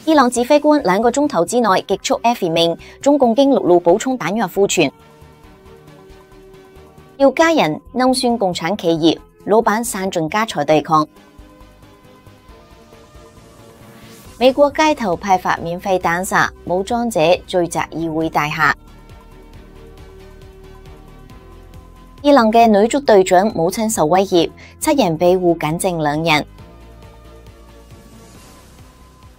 伊朗指揮官2個鐘頭之內極速 F 命，中共經陸路補充彈藥庫存。要加人弄酸共產企業，老闆散盡家財對抗。美國街頭派發免費彈藥，武裝者聚集議會大廈。伊朗嘅女足隊長母親受威脅，7人被捕僅剩2人。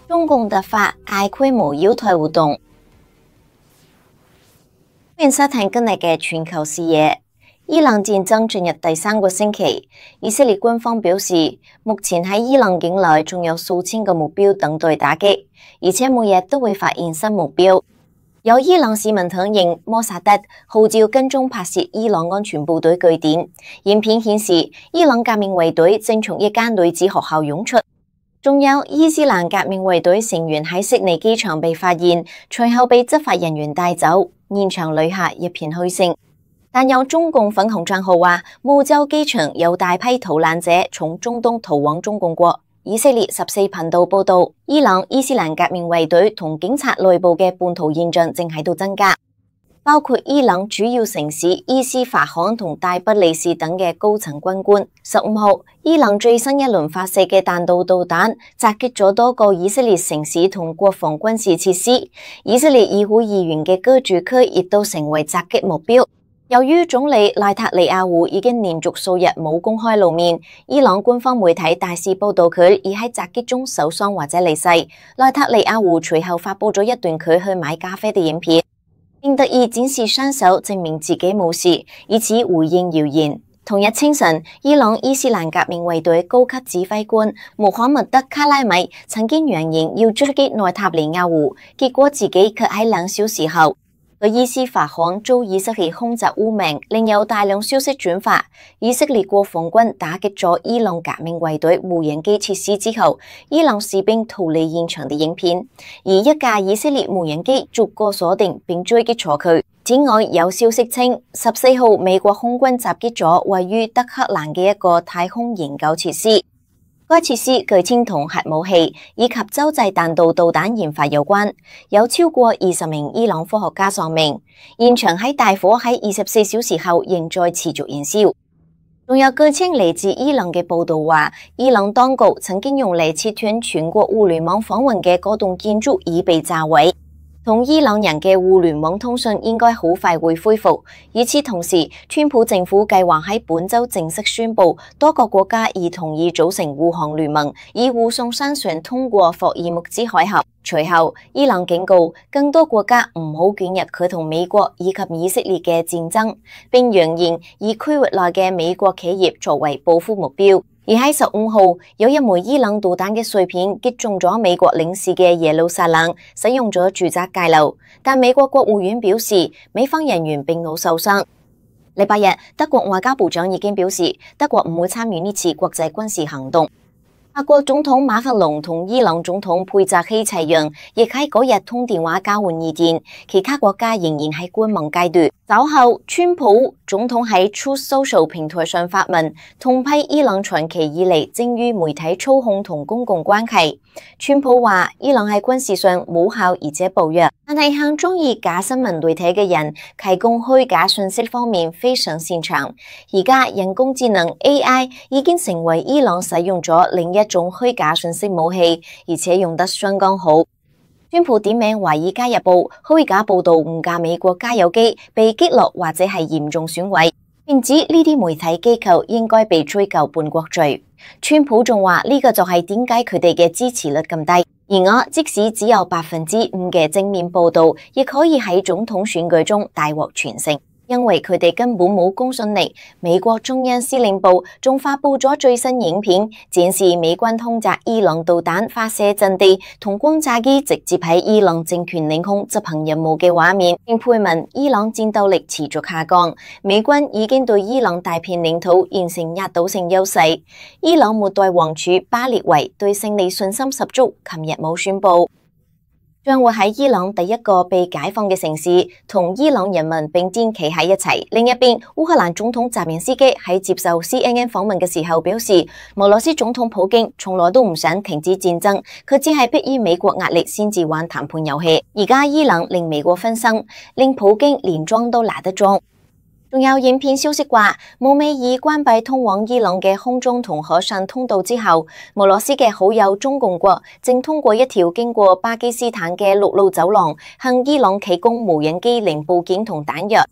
中共突發大規模擾台活動，歡迎收睇今日嘅全球視野。伊朗戰爭進入第3個星期，以色列軍方表示，目前喺伊朗境內仲有數千個目標等待打擊，而且每日都會發現新目標。有伊朗市民承認摩薩德號召跟蹤拍攝伊朗安全部隊據點，影片顯示伊朗革命衛隊正從一間女子學校湧出。仲有伊斯蘭革命衛隊成員喺悉尼機場被發現，隨後被執法人員帶走，現場旅客一片噓聲。但有中共粉紅帳號話，澳洲機場有大批逃難者從中東逃往中共國。以色列14頻道報道，伊朗伊斯蘭革命衛隊同警察內部嘅叛徒現象正喺度增加，包括伊朗主要城市伊斯法罕同大不里士等嘅高層軍官。15號，伊朗最新一輪發射嘅彈道導彈襲擊咗多個以色列城市同國防軍事設施，以色列議會議員嘅居住區亦都成為襲擊目標。由於總理內塔尼亞胡已經連續數日冇公開露面，伊朗官方媒體大肆報道佢已喺襲擊中受傷或者離世。內塔尼亞胡隨後發佈咗一段佢去買咖啡嘅影片，並特意展示雙手證明自己冇事，以此回應謠言。同日清晨，伊朗伊斯蘭革命衛隊高級指揮官穆罕默德卡拉米曾經揚言要狙擊內塔尼亞胡，結果自己卻喺2小時後佢伊斯法罕遭以色列空襲污名，另有大量消息轉發。以色列國防軍打擊咗伊朗革命衛隊無人機設施之後，伊朗士兵逃離現場嘅影片，而一架以色列無人機逐個鎖定並追擊咗佢。此外，有消息稱14號美國空軍襲擊咗位於德黑蘭嘅一個太空研究設施。該設施據稱同核武器以及洲際彈道導彈研發有關，有超過20名伊朗科學家喪命。現場喺大火喺24小時後仍在持續燃燒。仲有據稱嚟自伊朗嘅報道話，伊朗當局曾經用嚟切斷全國互聯網訪問嘅嗰棟建築已被炸毀。同伊朗人嘅互聯網通訊應該好快會恢復。與此同時，川普政府計劃喺本周正式宣布，多個國家已同意組成護航聯盟，以護送商船通過霍爾木茲海峽。隨後，伊朗警告更多國家唔好捲入佢同美國以及以色列嘅戰爭，並揚言以區域內嘅美國企業作為報復目標。而喺15號，有一枚伊朗導彈嘅碎片擊中咗美國領事嘅耶路撒冷，使用咗住宅界流，但美國國務院表示，美方人員並冇受傷。禮拜日，德國外交部長已經表示，德國唔會參與呢次國際軍事行動。法國總統馬克龍同伊朗總統佩扎希齊揚亦喺嗰日通電話交換意見，其他國家仍然喺觀望階段。稍後，川普總統喺 Truth Social 平台上發文，痛批伊朗長期以嚟精於媒體操控同公共關係。川普話伊朗喺軍事上無效而且暴虐，但係向中意假新聞媒體嘅人提供虛假信息方面非常擅長。而家人工智能 AI 已經成為伊朗使用咗另一種虛假信息武器，而且用得相當好。川普點名《華爾街日報》虛假報道誤架美國加油機被擊落或者係嚴重損毀，並指呢啲媒體機構應該被追究叛國罪。川普仲話呢個就係點解佢哋嘅支持率咁低。而我即使只有5%嘅正面報道，亦可以喺總統選舉中大獲全勝。因為佢哋根本冇公信力。美國中央司令部仲發佈咗最新影片，展示美軍空襲伊朗導彈發射陣地同轟炸機直接喺伊朗政權領空執行任務嘅畫面，並配文伊朗戰鬥力持續下降，美軍已經對伊朗大片領土形成壓倒性優勢。伊朗末代王儲巴列維對勝利信心十足，琴日冇宣佈。將會喺伊朗第一個被解放嘅城市，同伊朗人民並肩企喺一齊。另一邊，烏克蘭總統澤連斯基喺接受 CNN 訪問嘅時候表示，俄羅斯總統普京從來都唔想停止戰爭，佢只係迫於美國壓力先至玩談判遊戲。而家伊朗令美國分心，令普京連裝都拿得裝。仲有影片消息話，慕美爾關閉通往伊朗嘅空中同海上通道之後，俄羅斯嘅好友中共國正通過一條經過巴基斯坦嘅陸路走廊，向伊朗提供無人機零部件同彈藥。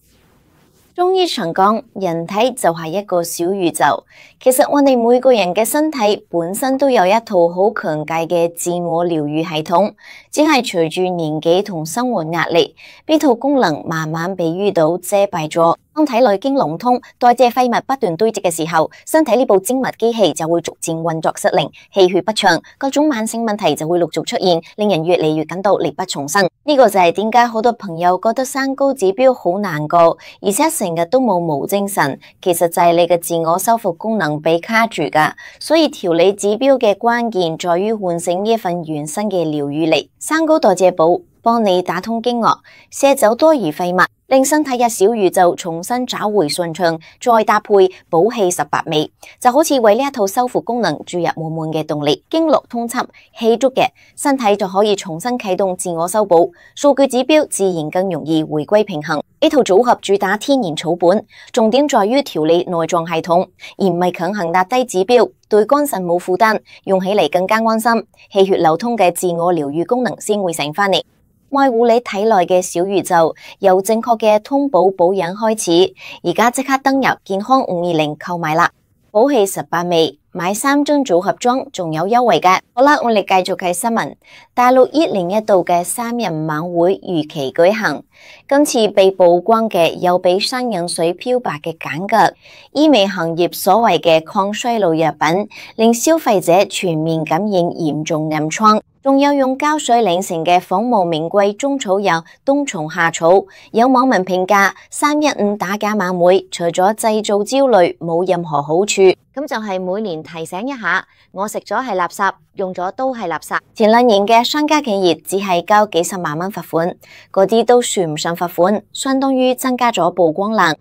中醫常講，人體就係一個小宇宙。其實我哋每個人嘅身體本身都有一套好強大嘅自我療愈系統，只係隨住年紀同生活壓力，呢套功能慢慢被淤堵遮蔽咗。當體內經籠通，代謝廢物不斷堆積嘅時候，身體呢部精密機器就會逐漸運作失靈，氣血不暢，各種慢性問題就會陸續出現，令人越嚟越感到力不從心。呢個就係點解好多朋友覺得三高指標好難過，而且成日都冇精神，其實就係你嘅自我修復功能被卡住㗎。所以調理指標嘅關鍵在於喚醒呢份原生嘅療愈力。三高代謝寶幫你打通經絡，卸走多餘廢物，令身體嘅小宇宙重新找回順暢，再搭配補氣18味，就好似為呢一套修復功能注入滿滿嘅動力。經絡通暢，氣足嘅身體就可以重新啟動自我修補，數據指標自然更容易回歸平衡。呢套組合主打天然草本，重點在於調理內臟系統，而唔係強行壓低指標，對肝腎冇負擔，用起嚟更加安心，氣血流通嘅自我療愈功能先會醒返嚟。愛護你體內嘅小宇宙，由正確嘅通補保養開始。而家即刻登入健康520購買啦！補氣18味，買3樽組合裝，仲有優惠㗎。好啦，我哋繼續睇新聞。大陸1年1度嘅3人晚會如期舉行，今次被曝光嘅有比山飲水漂白嘅鹼腳，醫美行業所謂嘅抗衰老藥品，令消費者全面感染嚴重暗瘡。仲有用膠水擰成嘅仿冒名貴中草藥冬蟲夏草，有網民評價315打假晚會，除咗製造焦慮，冇任何好處。咁就係每年提醒一下，我食咗係垃圾，用咗都係垃圾。前2年嘅商家企業只係交幾十萬蚊罰款，嗰啲都算唔上罰款，相當於增加咗曝光量。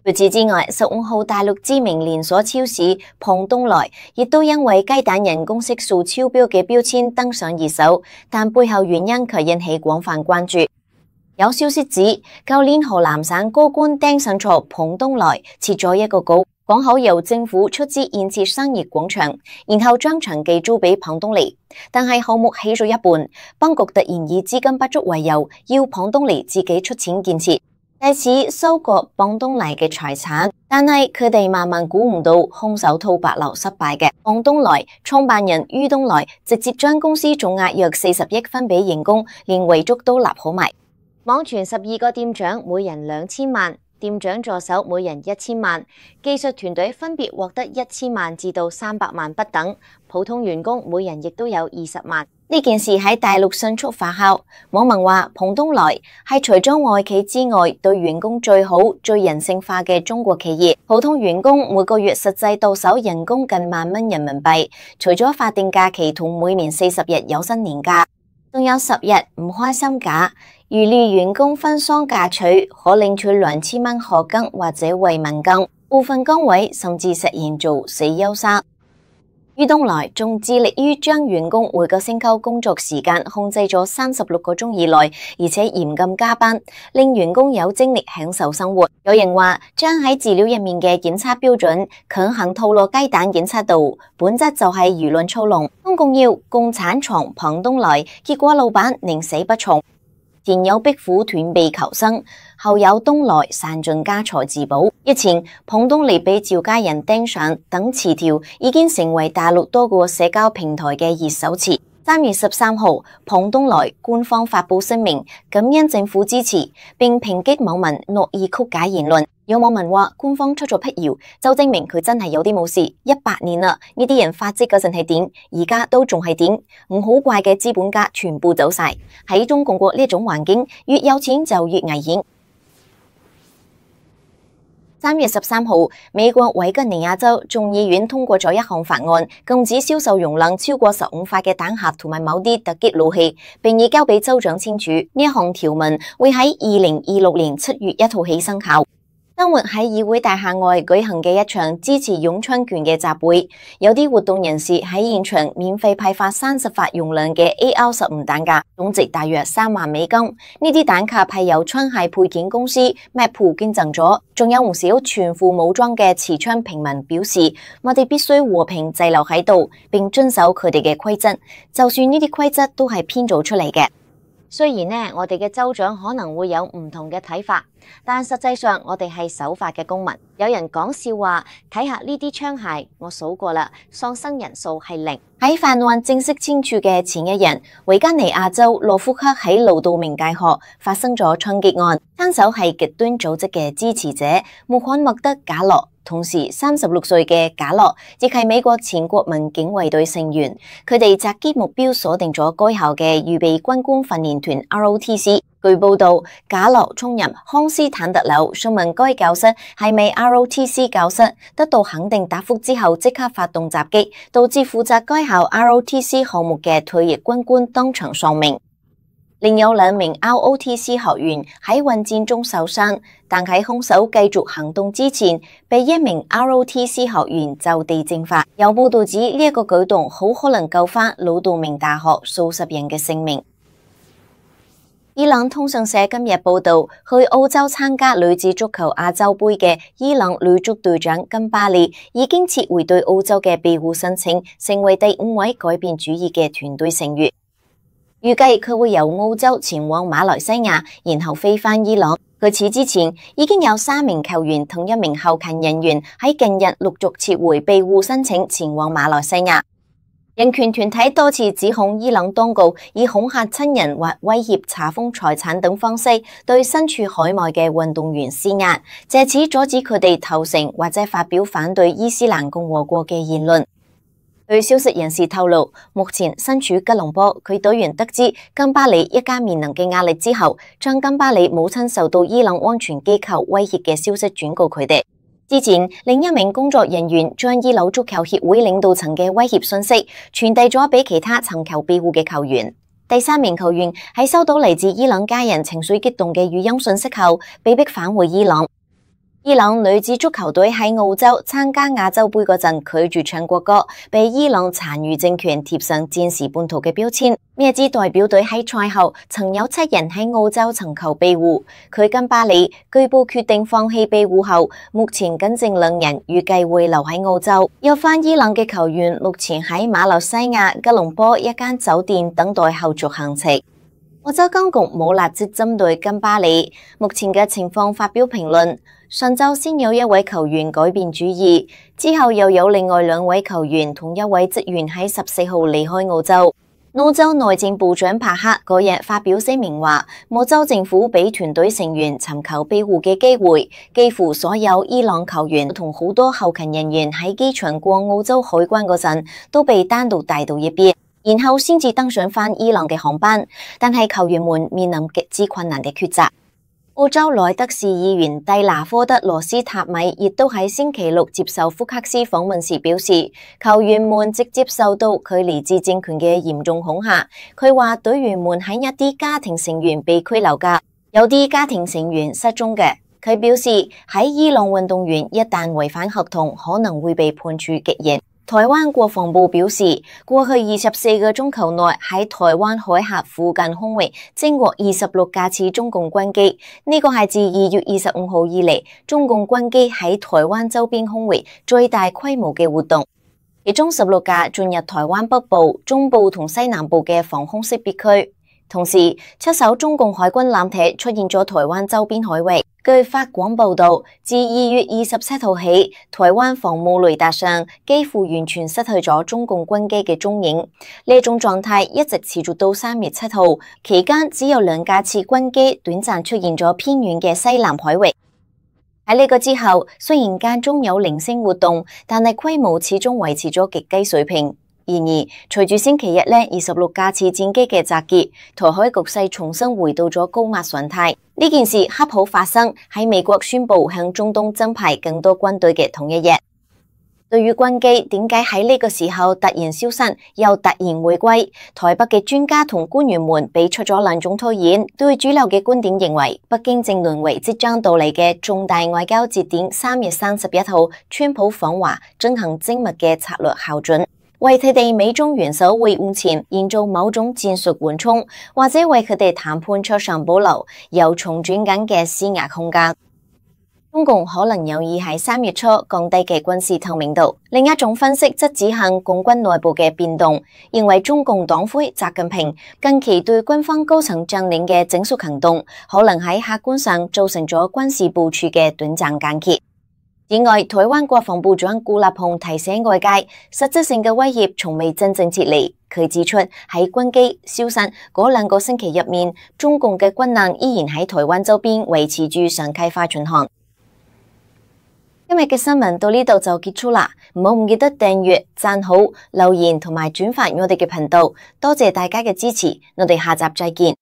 除此之外，15號大陸知名連鎖超市龐東來亦都因為雞蛋人工色素超標嘅標籤登上熱搜，但背後原因卻引起廣泛關注。有消息指，舊年河南省高官盯上錯龐東來設咗一個局，講好由政府出資建設商業廣場，然後將場地租俾龐東來。但係項目起咗一半，當局突然以資金不足為由，要龐東來自己出錢建設，借此收割龐東來嘅財產，但係佢哋萬萬估唔到兇手套白狼失敗嘅。龐東來創辦人于東來直接將公司總額約40億分俾員工，連遺囑都立好埋。網傳12個店長每人2000萬，店長助手每人1000萬，技術團隊分別獲得1000萬至到300萬不等，普通員工每人亦都有20萬。呢件事喺大陸迅速發酵，網民話龐東來係除咗外企之外對員工最好、最人性化嘅中國企業。普通員工每個月實際到手人工近10000蚊人民幣，除咗法定假期同每年40日有薪年假，仲有10日唔開心假。如例員工分喪假取，可領取2000蚊學金或者慰問金，部分崗位甚至實現做死休生。于東來仲致力於將員工每個星期工作時間控制咗36個鐘以內，而且嚴禁加班，令員工有精力享受生活。有人話將喺資料入面嘅檢測標準強行套落雞蛋檢測度，本質就係輿論操弄。中共要共產藏龐東來，結果老闆寧死不從。前有壁虎斷臂求生，後有東來散盡家財自保。日前，龐東來被趙家人盯上等詞條已經成為大陸多個社交平台嘅熱搜詞。3月13號，龐東來官方發布聲明，感恩政府支持，並抨擊網民惡意曲解言論。有網民話，官方出咗闢謠，就證明佢真係有啲冇事。100年啦，呢啲人發跡嗰陣係點，而家都仲係點，唔好怪嘅資本家全部走晒。喺中共國呢種環境，越有錢就越危險。3月13號，美國維吉尼亞州眾議院通過咗一項法案，禁止銷售容量超過15發嘅彈匣同埋某啲突擊武器，並已交俾州長簽署。呢一項條文會喺2026年7月1號起生效。周末喺議會大廈外舉行嘅一場支持擁槍權嘅集會，有啲活動人士喺現場免費派發30發容量嘅 AR-15彈匣，總值大約3萬美金。呢啲彈匣係由槍械配件公司 Magpul 捐贈咗，仲有唔少全副武裝嘅持槍平民表示，我哋必須和平滯留喺度，並遵守佢哋嘅規則，就算呢啲規則都係編造出嚟嘅。雖然呢，我哋嘅州長可能會有唔同嘅睇法，但實際上我哋係守法嘅公民。有人講笑話，睇下呢啲槍械，我數過啦，喪生人數係0。喺法案正式簽署嘅前一日，維吉尼亞州諾福克喺勞道明大學發生咗槍擊案，槍手係極端組織嘅支持者穆罕默德·賈洛。同時，36歲嘅賈洛亦係美國前國民警衛隊成員。佢哋襲擊目標鎖定咗該校嘅預備軍官訓練團 ROTC。據報道，賈洛衝入康斯坦特樓，詢問該教室係咪 ROTC 教室，得到肯定答覆之後，即刻發動襲擊，導致負責該校 ROTC 項目嘅退役軍官當場喪命。另有2名 ROTC 學員喺混戰中受傷，但喺兇手繼續行動之前，被1名 ROTC 學員就地正法。有報道指呢一個舉動好可能救返魯道明大學數十人嘅性命。伊朗通訊社今日報道，去澳洲參加女子足球亞洲杯嘅伊朗女足隊長金巴里已經撤回對澳洲嘅庇護申請，成為第5位改變主意嘅團隊成員。預計佢會由澳洲前往馬來西亞，然後飛返伊朗。據此之前，已經有3名球員同1名後勤人員喺近日陸續撤回庇護申請，前往馬來西亞。人權團體多次指控伊朗當局以恐嚇親人或威脅查封財產等方式，對身處海外嘅運動員施壓，借此阻止佢哋投誠或者發表反對伊斯蘭共和國嘅言論。據消息人士透露，目前身處吉隆坡，佢隊員得知金巴里一家面臨嘅壓力之後，將金巴里母親受到伊朗安全機構威脅嘅消息轉告佢哋。之前，另一名工作人員將伊朗足球協會領導層嘅威脅信息傳遞咗俾其他尋求庇護嘅球員。第3名球員喺收到嚟自伊朗家人情緒激動嘅語音信息後，被迫返回伊朗。伊朗女子足球隊喺澳洲參加亞洲杯嗰陣拒絕唱國歌，被伊朗殘餘政權貼上戰時叛徒嘅標籤。咩支代表隊喺賽後曾有7人喺澳洲尋求庇護，佢金巴里據報決定放棄庇護後，目前僅剩2人，預計會留喺澳洲。有返伊朗嘅球員目前喺馬來西亞吉隆坡一間酒店等待後續行程。澳洲當局冇立即針對金巴里目前嘅情況發表評論。上週先有1位球員改變主意，之後又有另外2位球員同1位職員喺14號離開澳洲。澳洲內政部長帕克嗰日發表聲明話，澳洲政府俾團隊成員尋求庇護嘅機會，幾乎所有伊朗球員同好多後勤人員喺機場過澳洲海關嗰陣都被單獨帶到一邊，然後先至登上返伊朗嘅航班，但係球員們面臨極之困難嘅抉擇。澳洲萊德市議員蒂拿科德羅斯塔米亦都喺星期6接受福克斯訪問時表示，球員們直接受到距離自政權嘅嚴重恐嚇。佢話隊員們喺一啲家庭成員被拘留㗎，有啲家庭成員失蹤嘅。佢表示喺伊朗運動員一旦違反合同，可能會被判處極刑。台灣國防部表示，過去24個鐘頭內喺台灣海峽附近空域偵獲26架次中共軍機，呢個係自2月25號以嚟中共軍機喺台灣周邊空域最大規模嘅活動。其中16架進入台灣北部、中部同西南部嘅防空識別區。同時，7艘中共海軍艦艇出現咗台灣周邊海域。據法廣報道，自2月27號起，台灣防務雷達上幾乎完全失去咗中共軍機嘅蹤影。呢種狀態一直持續到3月7號，期間只有2架次軍機短暫出現咗偏遠嘅西南海域。喺呢個之後，雖然間中有零星活動，但係規模始終維持咗極低水平。然而，隨住星期日26架次戰機嘅集結，台海局勢重新回到咗高壓狀態。呢件事恰好發生喺美國宣布向中東增派更多軍隊嘅同一日。對於軍機點解喺呢個時候突然消失又突然回歸，台北嘅專家同官員們俾出咗兩種推演。對主流嘅觀點認為，北京正淪為即將到嚟嘅重大外交節點3月31號川普訪華進行精密嘅策略校準，為佢哋美中元首會晤前營造某種戰術緩衝，或者為佢哋談判桌上保留又重轉緊嘅施壓空間。中共可能有意喺3月初降低嘅軍事透明度。另一種分析則指向共軍內部嘅變動，認為中共黨魁習近平近期對軍方高層將領嘅整肅行動，可能喺客觀上造成咗軍事部署嘅短暫間歇。此外，台灣國防部長顧立雄提醒外界，實質性嘅威脅從未真正撤離。佢指出，喺軍機消失嗰2個星期入面，中共嘅軍艦依然喺台灣周邊維持住常態化巡航。今日嘅新聞到呢度就結束啦，唔記得訂閱、讚好、留言同埋轉發我哋嘅頻道，多謝大家嘅支持，我哋下集再見。